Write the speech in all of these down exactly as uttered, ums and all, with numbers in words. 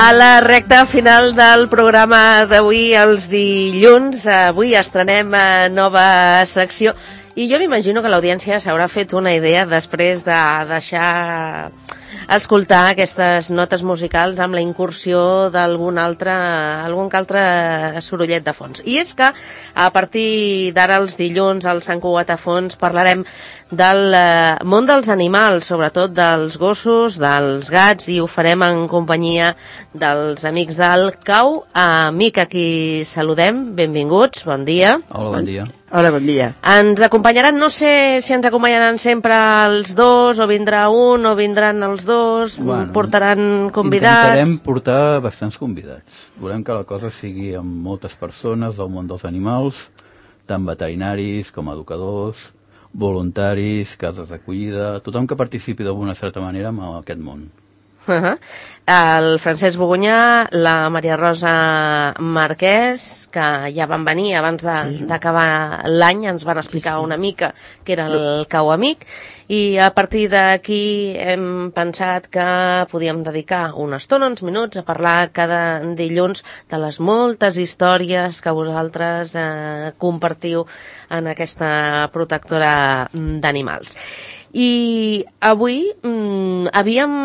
A la recta final del programa d'avui, els dilluns, avui estrenem nova secció i jo m'imagino que l'audiència s'haurà fet una idea després de deixar escoltar aquestes notes musicals amb la incursió d'algun altre, algun altre sorollet de fons. I és que a partir d'ara els dilluns al Sant Cugat a Fons parlarem del eh, món dels animals, sobretot dels gossos, dels gats, i ho farem en companyia dels amics del Cau Amic, a qui saludem. Benvinguts, bon dia. Hola, bon dia. Hola, bon dia. Ens acompanyaran, no sé si ens acompanyaran sempre els dos, o vindrà un, o vindran els dos, bueno, portaran convidats. Intentarem portar bastants convidats. Volem que la cosa sigui amb moltes persones del món dels animals, tant veterinaris com educadors, voluntaris, cases d'acollida, tothom que participi d'alguna certa manera en aquest món. Uh-huh. El Francesc Bogunyà, la Maria Rosa Marquès, que ja van venir abans d'acabar sí. l'any, ens van explicar sí, sí. una mica què era el Cau Amic, i a partir d'aquí hem pensat que podíem dedicar una estona, uns minuts, a parlar cada dilluns de les moltes històries que vosaltres eh, compartiu en aquesta protectora d'animals. I avui mm, havíem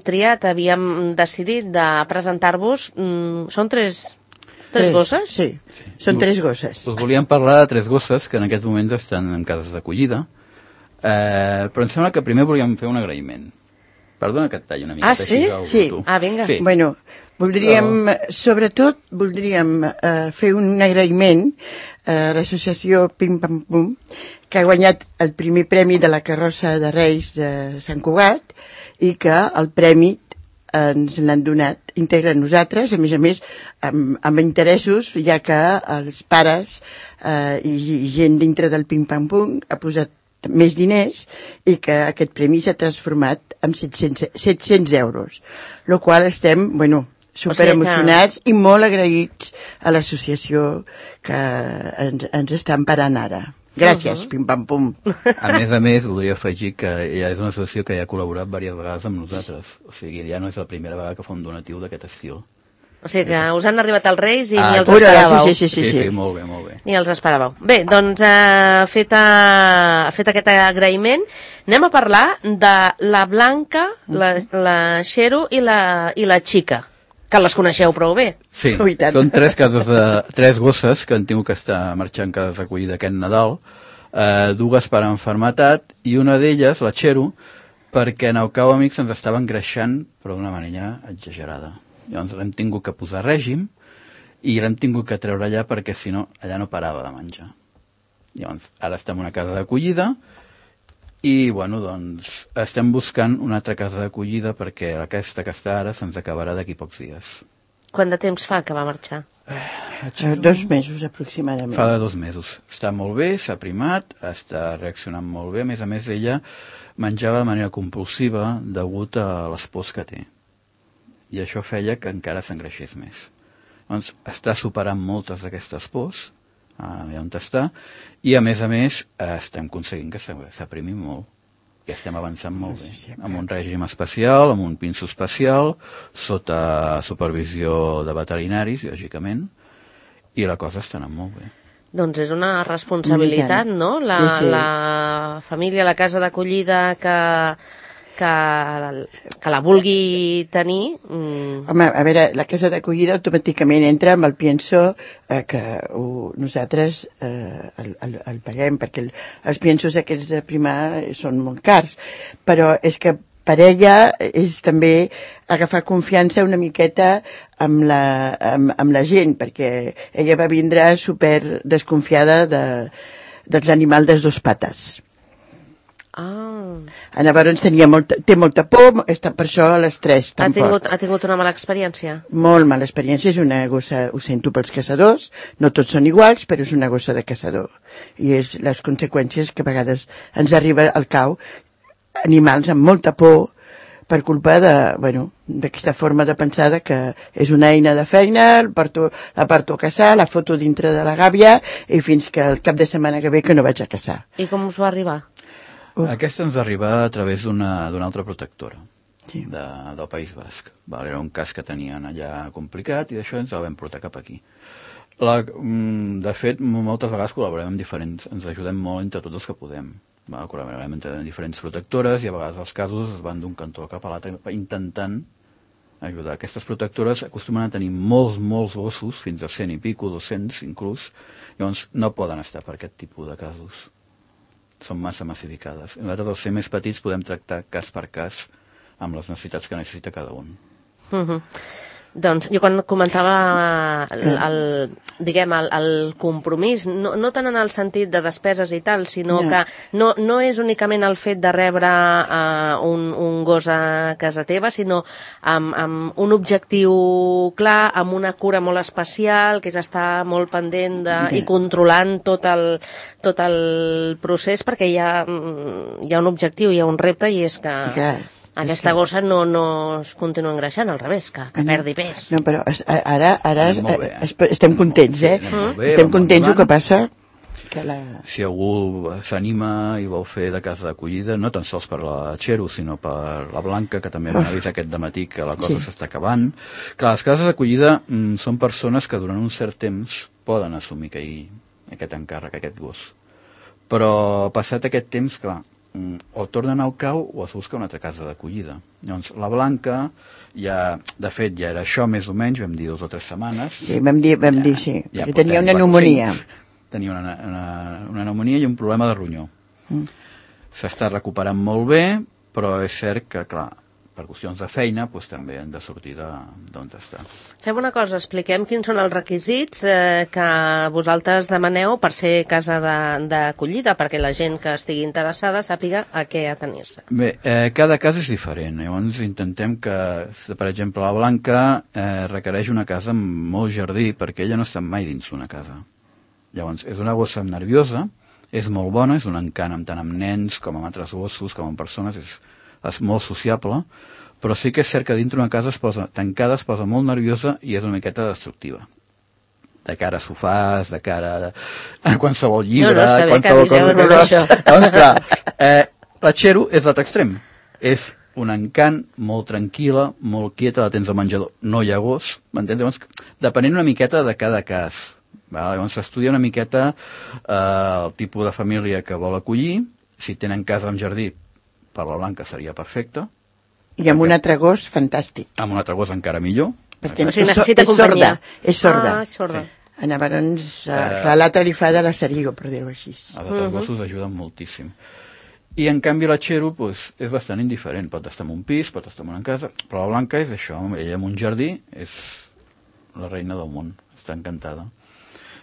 triat, havíem decidit de presentar-vos, mm, són tres, tres, tres gosses? Sí, sí, són tres gosses. Us volíem parlar de tres gosses que en aquests moments estan en cases d'acollida, eh, però em sembla que primer volíem fer un agraïment. Perdona que et talli una mica. Ah, sí? Sí. Ah, vinga. Sí. Bueno, voldríem, però... sobretot, voldríem eh, fer un agraïment a l'associació Pim Pam Pum, que ha guanyat el primer premi de la carrossa de Reis de Sant Cugat i que el premi ens l'han donat íntegre a nosaltres, a més a més amb, amb interessos, ja que els pares eh, i, i gent dintre del Pim Pam Pum ha posat més diners i que aquest premi s'ha transformat en set-cents euros, el qual estem, bueno, super emocionats o sigui que... i molt agraïts a l'associació que ens, ens està emparant ara. Gràcies, uh-huh. Pim Pam Pum. A més a més, voldria afegir que ja és una associació que ja ha col·laborat diverses vegades amb nosaltres. O sigui, ja no és la primera vegada que fa un donatiu d'aquest estil. O sigui que us han arribat els Reis i ah, ni els pura, esperàveu. Sí, sí, sí, sí, sí. sí, molt bé, molt bé. Ni els esperàveu. Bé, doncs, eh, fet, a, fet aquest agraïment, anem a parlar de la Blanca, la, la Xero i la, i la Xica, que les coneixeu prou bé. Sí, són tres cases de, tres gosses que han tingut que estar marxant cases d'acollida aquest Nadal, eh, dues per enfermetat i una d'elles, la Xero, perquè en el Cau Amic se'ns estava engreixant però d'una manera exagerada. Llavors l'hem tingut que posar règim i l'hem tingut que treure allà perquè si no, allà no parava de menjar. Llavors, ara estem en una casa d'acollida i, bueno, doncs, estem buscant una altra casa d'acollida perquè aquesta que està ara se'ns acabarà d'aquí pocs dies. Quant de temps fa que va marxar? Eh, dos mesos, aproximadament. Fa de dos mesos. Està molt bé, s'ha primat, està reaccionant molt bé. A més a més, ella menjava de manera compulsiva degut a les pors que té. I això feia que encara s'engreixés més. Doncs està superant moltes d'aquestes pors, allà on està, i a més a més estem aconseguint que s'aprimi molt i estem avançant molt bé amb un règim especial, amb un pinso especial sota supervisió de veterinaris, lògicament, i la cosa està anant molt bé. Doncs és una responsabilitat, no? La, sí, sí. la família, la casa d'acollida que que, que la vulgui tenir. Mm. Home, a veure, la casa d'acollida automàticament entra amb el pienso eh, que ho, nosaltres eh, el, el, el paguem, perquè el, els piensos aquests de primar són molt cars, però és que per ella és també agafar confiança una miqueta amb la, amb, amb la gent, perquè ella va vindre super desconfiada de, dels animals de dos pates. Ah. Llavors tenia molta, té molta por, està per això a les tres. Ha tingut, ha tingut una mala experiència? Molt mala experiència, és una gossa, ho sento pels caçadors, no tots són iguals, però és una gossa de caçador. I és les conseqüències que a vegades ens arriba al cau, animals amb molta por, per culpa de, bueno, d'aquesta forma de pensar que és una eina de feina, el porto, la porto a caçar, la foto dintre de la gàbia, i fins que el cap de setmana que ve que no vaig a caçar. I com us va arribar? Uh. Aquesta ens va arribar a través d'una d'una altra protectora. sí. de, del País Basc. Val? Era un cas que tenien allà complicat i d'això ens el vam portar cap aquí. La, de fet, moltes vegades col·laborem amb diferents, ens ajudem molt entre tots els que podem. Val? Col·laborem entre diferents protectores i a vegades els casos es van d'un cantó cap a l'altre intentant ajudar. Aquestes protectores acostumen a tenir molts, molts gossos, fins a cent i pico, dos-cents inclús, llavors no poden estar per aquest tipus de casos. Són massa massificades. Nosaltres, els ser més petits, podem tractar cas per cas amb les necessitats que necessita cada un. Uh-huh. Doncs jo quan comentava el, el, diguem, el, el compromís, no, no tant en el sentit de despeses i tal, sinó no. que no, no és únicament el fet de rebre uh, un, un gos a casa teva, sinó amb, amb un objectiu clar, amb una cura molt especial, que és estar molt pendent de, i controlant tot el, tot el procés, perquè hi ha, hi ha un objectiu, hi ha un repte, i és que... Clar. Aquesta gossa no, no es continua engreixant, al revés, que, que perdi pes. No, però ara, ara estem contents, eh? Bé, estem contents, el que passa... Que la... Si algú s'anima i vol fer de casa d'acollida, no tan sols per la Txero, sinó per la Blanca, que també m'ha vist aquest dematí que la cosa s'està acabant. Clar, les cases d'acollida mm, són persones que durant un cert temps poden assumir que hi, aquest encàrrec, aquest gos. Però passat aquest temps, clar, o tornen al cau o es busca una altra casa d'acollida. Llavors, la Blanca, ja, de fet, ja era això més o menys, vam dir dues o tres setmanes. Sí, vam dir, vam ja, dir sí, ja perquè tenia una pneumònia. Tenia una, una, una pneumònia i un problema de ronyó. Mm. S'està recuperant molt bé, però és cert que, clar, per qüestions de feina, doncs, també han de sortir d'on està. Fem una cosa, expliquem quins són els requisits eh, que vosaltres demaneu per ser casa d'acollida, perquè la gent que estigui interessada sàpiga a què atenir-se. Bé, eh, cada cas és diferent. Llavors intentem que, per exemple, la Blanca eh, requereix una casa amb molt jardí, perquè ella no està mai dins d'una casa. Llavors, és una gossa nerviosa, és molt bona, és un encant tant amb nens com amb altres gossos, com amb persones, és és molt sociable, però sí que és cert que dintre una casa es posa tancada, es posa molt nerviosa i és una miqueta destructiva. De cara a sofàs, de cara a, a qualsevol llibre... No, no, està bé que aviseu de tot això. Llavors, clar, eh, la Txero és l'altre extrem. És un encant, molt tranquil·la, molt quieta, la tens al menjador. No hi ha gos, m'entens? Llavors, depenent una miqueta de cada cas. Val? Llavors s'estudia una miqueta eh, el tipus de família que vol acollir, si tenen casa amb jardí, per la Blanca seria perfecte. I amb un altre gos, fantàstic. Amb un altre gos encara millor. Perquè o sigui, necessita és, companyia. Sorda, és sorda. Ah, és sorda. Sí. Llavors, uh, l'altre li fa de la serigo, per dir-ho així. Els altres uh -huh. gossos ajuden moltíssim. I en canvi la Txero pues, és bastant indiferent. Pot estar en un pis, pot estar en una casa, però la Blanca és això. Ella en un jardí és la reina del món. Està encantada.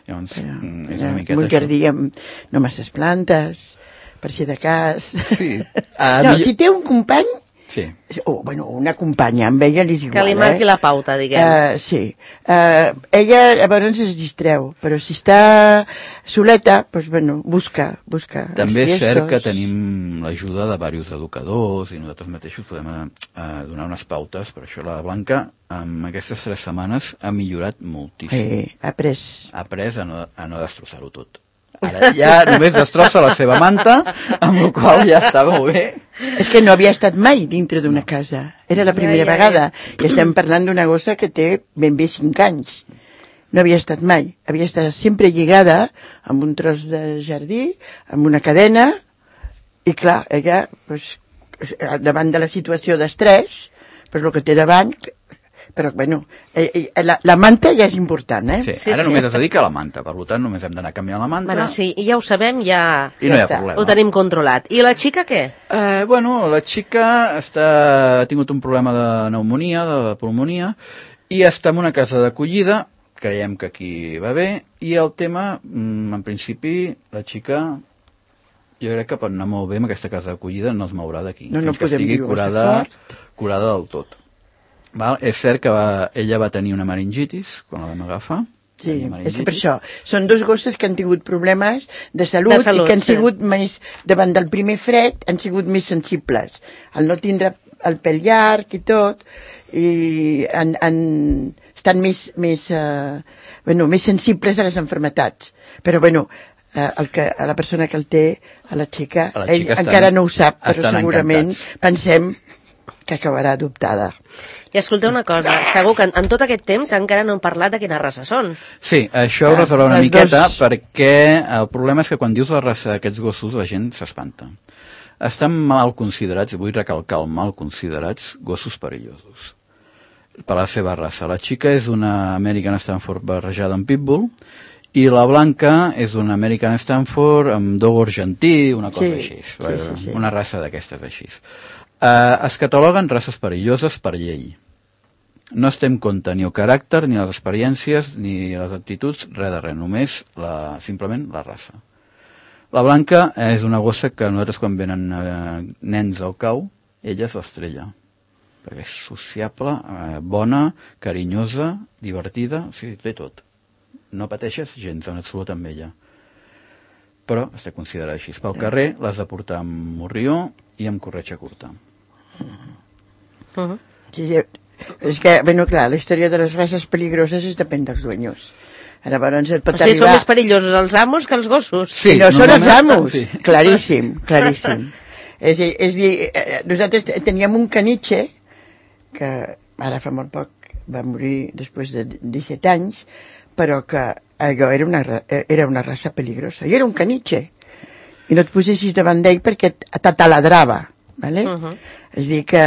Llavors, però, és una miqueta en un jardí amb no masses plantes... per si de cas... Sí. Uh, no, si té un company... Sí. O, bueno, una companya, amb ella li és igual, que li marqui eh? la pauta, diguem. Uh, sí. Uh, ella, llavors, es distreu, però si està soleta, doncs, bueno, busca, busca. També és cert que tenim l'ajuda de diversos educadors i nosaltres mateixos podem uh, donar unes pautes, per això la Blanca, en aquestes tres setmanes, ha millorat moltíssim. Sí, ha après. Ha après a no, a no destrossar-ho tot. Ara ja només destrossa la seva manta, amb la qual ja està molt bé. És que no havia estat mai dintre d'una casa. Era la primera ja, ja, vegada. Ja. I estem parlant d'una gossa que té ben bé cinc anys. No havia estat mai. Havia estat sempre lligada amb un tros de jardí, amb una cadena, i clar, ella, pues, davant de la situació d'estrès, pues, el que té davant... Però, bueno, eh, eh, la, la manta ja és important, eh? Sí, sí ara sí. Només es dedica a la manta, per tant només hem d'anar canviant la manta. Bueno, sí, ja ho sabem, ja... I no hi ha problema. Ho tenim controlat. I la xica què? Eh, bueno, la xica està, ha tingut un problema de pneumonia, de pulmonia, i està en una casa d'acollida, creiem que aquí va bé, i el tema, en principi, la xica... Jo crec que pot anar molt bé amb aquesta casa d'acollida, no es mourà d'aquí. No, no que estigui curada, curada del tot. Val? És cert que va, ella va tenir una meningitis quan la vam agafar. Sí, és que per això són dos gosses que han tingut problemes de salut, de salut i que han sí. sigut més, davant del primer fred, han sigut més sensibles. Al no tindre el pèl llarg i tot, i han, han, estan més, més, uh, bueno, més sensibles a les enfermetats. Però, bueno, uh, el que, a la persona que el té, a la xica, a la xica ell estan, encara no ho sap, però segurament encantats. Pensem que acabarà adoptada. I escolteu una cosa, segur que en, en tot aquest temps encara no hem parlat de quina raça són. Sí, això ho resoldrà una miqueta dos... perquè el problema és que quan dius la raça d'aquests gossos la gent s'espanta. Estan mal considerats, vull recalcar el mal considerats, gossos perillosos per la seva raça. La xica és una American Stanford barrejada amb Pitbull i la blanca és una American Stanford amb dogo argentí, una cosa sí, així, sí, sí, sí. Una raça d'aquestes així. Uh, es cataloguen races perilloses per llei. No es té en compte ni el caràcter, ni les experiències, ni les actituds, res de res, només la, simplement la raça. La blanca és una gossa que nosaltres quan venen eh, nens al cau, ella és l'estrella, perquè és sociable, eh, bona, carinyosa, divertida, o sigui, té tot. No pateixes gens en absolut amb ella. Però es té considerat així. Pel carrer l'has de portar amb morrió i amb corretja curta. Uh-huh. Sí, és que, bueno, clar, la història de les races peligroses és depèn dels dueños. Ara, llavors, et pot o sigui, arribar... són més perillosos els amos que els gossos. Sí, no són els amos, sí. Claríssim, claríssim. És, és dir, nosaltres teníem un caniche que ara fa molt poc va morir després de disset anys, però que allò era una, era una raça peligrosa. I era un caniche. I no et posessis davant d'ell perquè t'ataladrava. Vale? Uh-huh. És dir que,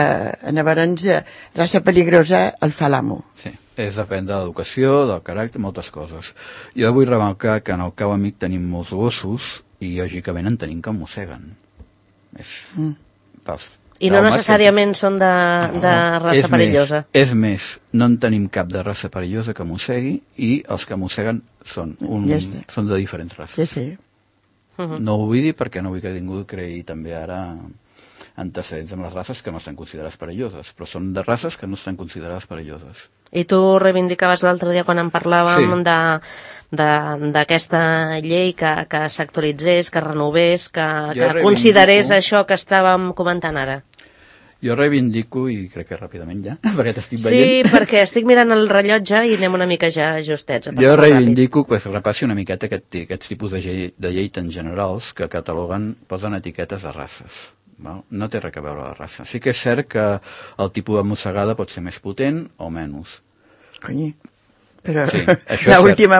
llavors, raça peligrosa el fa l'amo. Sí. És depèn de l'educació, del caràcter, moltes coses. Jo vull remarcar que en el cau amic tenim molts gossos i, lògicament, en tenim que mosseguen. És... Mm. Pels, I no necessàriament que... són de, no, de raça és perillosa. Més, és més, no en tenim cap de raça perillosa que mossegui i els que mosseguen són, un, ja són de diferents races. Sí, sí. Uh-huh. No ho vull dir perquè no vull que ningú creï també ara antecedents amb les races que no estan considerades perilloses, però són de races que no estan considerades perilloses. I tu reivindicaves l'altre dia quan en parlàvem sí. de d'aquesta llei que, que s'actualitzés, que renovés, que, que considerés això que estàvem comentant ara. Jo reivindico, i crec que ràpidament ja, perquè t'estic sí, veient. Sí, perquè estic mirant el rellotge i anem una mica ja justets. Jo reivindico que es repassi una miqueta aquest, aquests tipus de llei, de llei tan generals que cataloguen, posen etiquetes de races. Val? No té res a veure la raça. Sí que és cert que el tipus de mossegada pot ser més potent o menys. Conyi, però sí, l'últim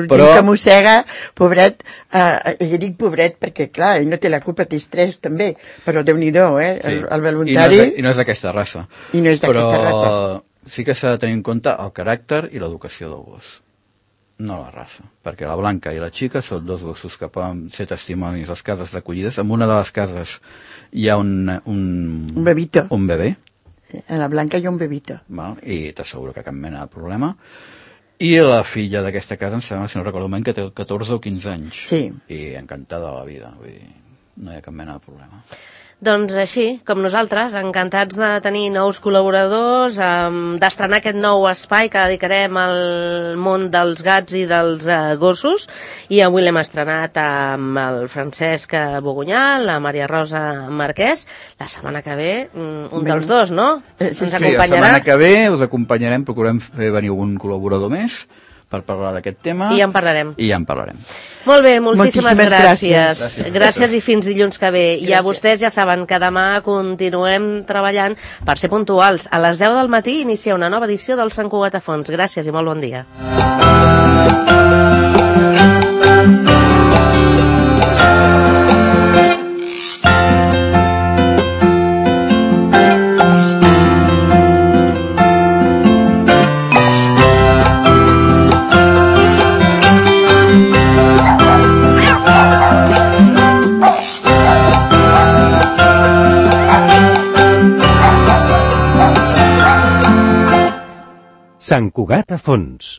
però... que mossega, pobret, eh, jo dic pobret perquè, clar, ell no té la culpa, té estrès també, però Déu-n'hi-do, eh, sí. el, el voluntari... I no és d'aquesta raça. I no és d'aquesta raça. Però sí que s'ha de tenir en compte el caràcter i l'educació del gos. No la raça, perquè la blanca i la xica són dos gossos que poden ser testimonis a les cases d'acollides. En una de les cases hi ha un... Un, un bebito. Un bebè. En la blanca hi ha un bebito. Val? I t'asseguro que cap mena de problema. I la filla d'aquesta casa, em sembla, si no recordo ben, que té catorze o quinze anys. Sí. I encantada de la vida. Vull dir, no hi ha cap mena de problema. Doncs així, com nosaltres, encantats de tenir nous col·laboradors, um, d'estrenar aquest nou espai que dedicarem al món dels gats i dels uh, gossos, i avui l'hem estrenat amb el Francesc Bogunyà, la Maria Rosa Marquès. La setmana que ve, un dels dos, no? Sí, sí, sí, la setmana que ve us acompanyarem, procurem fer venir un col·laborador més per parlar d'aquest tema. I ja en parlarem. I ja en parlarem. Molt bé, moltíssimes, moltíssimes gràcies. gràcies. Gràcies. Gràcies i fins dilluns que ve. Gràcies. I a vostès ja saben que demà continuem treballant per ser puntuals. A les deu del matí inicia una nova edició del Sant Cugat a Fons. Gràcies i molt bon dia. Sant Cugat a Fons.